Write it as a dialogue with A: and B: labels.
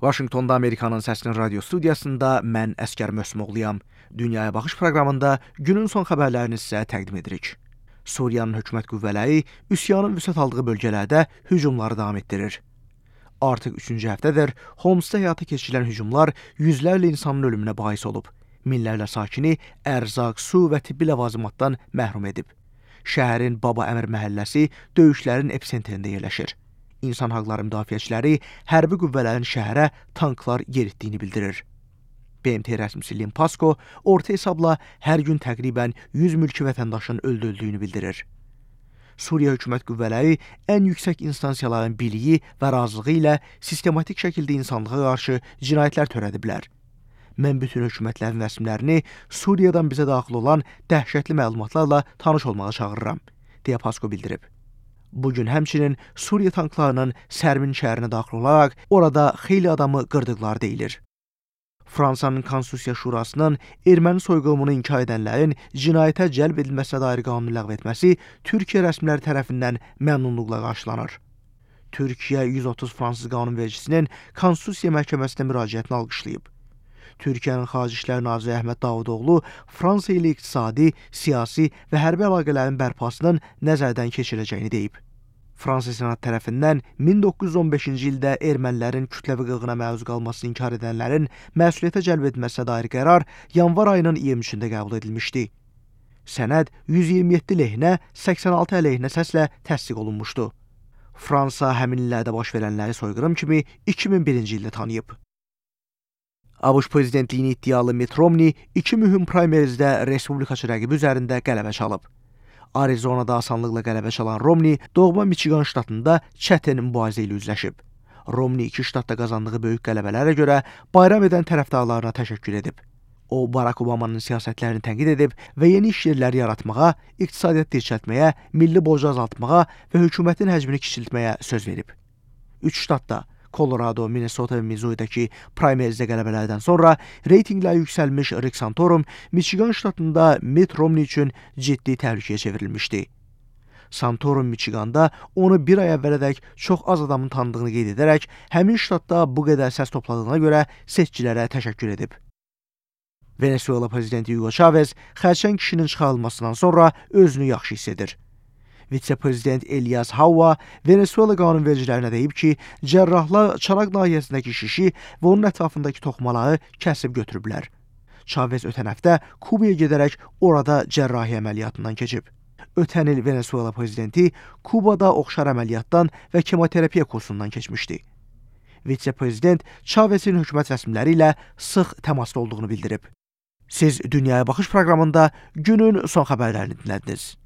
A: Vaşinqtonda Amerikanın Səsinin radio studiyasında mən Əskər Mösmoğluyam. Dünyaya Baxış proqramında günün son xəbərlərini sizə təqdim edirik. Suriyanın hökumət qüvvələri üsyanın vüsət aldığı bölgələrdə hücumları davam etdirir. Artıq 3-cü həftədir Homsda həyata keçirilən hücumlar yüzlərlə insanın ölümünə bais olub. Minlərlə sakini ərzaq, su və tibbi ləvazimatdan məhrum edib. Şəhərin Baba Əmir məhəlləsi döyüşlərin episentrində yerləşir. İnsan haqları müdafiəçiləri hərbi qüvvələrin şəhərə tanklar yeritdiyini bildirir. BMT rəsmisi Lynn Pascoe orta hesabla hər gün təqribən 100 mülki vətəndaşın öldürüldüyünü bildirir. Suriya hökumət qüvvələri ən yüksək instansiyaların biliyi və razılığı ilə sistematik şəkildə insanlığa qarşı cinayətlər törədiblər. Mən bütün hökumətlərin rəsmilərini Suriyadan bizə daxil olan dəhşətli məlumatlarla tanış olmağa çağırıram, deyə Pascoe bildirib. Bugün həmçinin Suriya tanklarının Sərmin şəhərinə daxil olaraq orada xeyli adamı qırdıqları deyilir. Fransanın Konstitusiya Şurasının erməni soyqırımını inkar edənlərin cinayətə cəlb edilməsinə dair qanunu ləğv etməsi Türkiyə rəsmiləri tərəfindən məmnunluqla qarşılanır. Türkiyə 130 fransız qanunvericisinin Konstitusiya məhkəməsinə müraciətini alqışlayıb. Türkiyənin Xarici İşlər Naziri Əhməd Davutoğlu Fransa ilə iqtisadi, siyasi və hərbi əlaqələrin bərpasının nəzərdən keçiriləcəyini deyib. Fransa Senat tərəfindən 1915-ci ildə ermənilərin kütləvi qırğına məruz qalmasını inkar edənlərin məsuliyyətə cəlb edilməsinə dair qərar yanvar ayının 23-də qəbul edilmişdi. Sənəd 127 lehinə, 86 əleyhinə səslə təsdiq olunmuşdu. Fransa həmin illərdə baş verənləri soyqırım kimi 2001-ci ildə tanıyıb. ABŞ prezidentliyini iddialı Mitt Romney 2 mühüm primerizdə respublikaçı rəqibi üzərində qələbə çalıb. Arizonada asanlıqla qələbə çalan Romney doğma Michigan ştatında çətin mübarizə ilə üzləşib. Romney 2 ştatda qazandığı böyük qələbələrə görə bayram edən tərəfdarlarına təşəkkür edib. O, Barack Obamanın siyasətlərini tənqid edib və yeni iş yerləri yaratmağa, iqtisadiyyat dirçəltməyə, milli borcu azaltmağa və hökumətin həcmini kiçiltməyə söz verib. 3 ştatda Colorado, Minnesota və Missouri-dakı primerizdə qələbələrdən sonra reytinqlər yüksəlmiş Rick Santorum Michigan ştatında Mitt Romney üçün ciddi təhlükəyə çevrilmişdi. Santorum Michiganda onu bir ay əvvələdək çox az adamın tanıdığını qeyd edərək həmin ştatda bu qədər səs topladığına görə seçicilərə təşəkkür edib. Venezuela prezidenti Hugo Chavez xərçəng kişinin çıxarılmasından sonra özünü yaxşı hiss edir. Vitse-prezident Elias Hauva Venezuela qanunvericilərinə deyib ki, cərrahlar çaraq nahiyəsindəki şişi və onun ətrafındakı toxumaları kəsib götürüblər. Chavez ötən həftə Kubaya gedərək orada cərrahi əməliyyatından keçib. Ötən il Venezuela prezidenti Kubada oxşar əməliyyatdan və kemoterapiya kursundan keçmişdi. Vitse-prezident Chavezin hökumət rəsmiləri ilə sıx təmasda olduğunu bildirib. Siz Dünyaya Baxış proqramında günün son xəbərlərini dinlədiniz.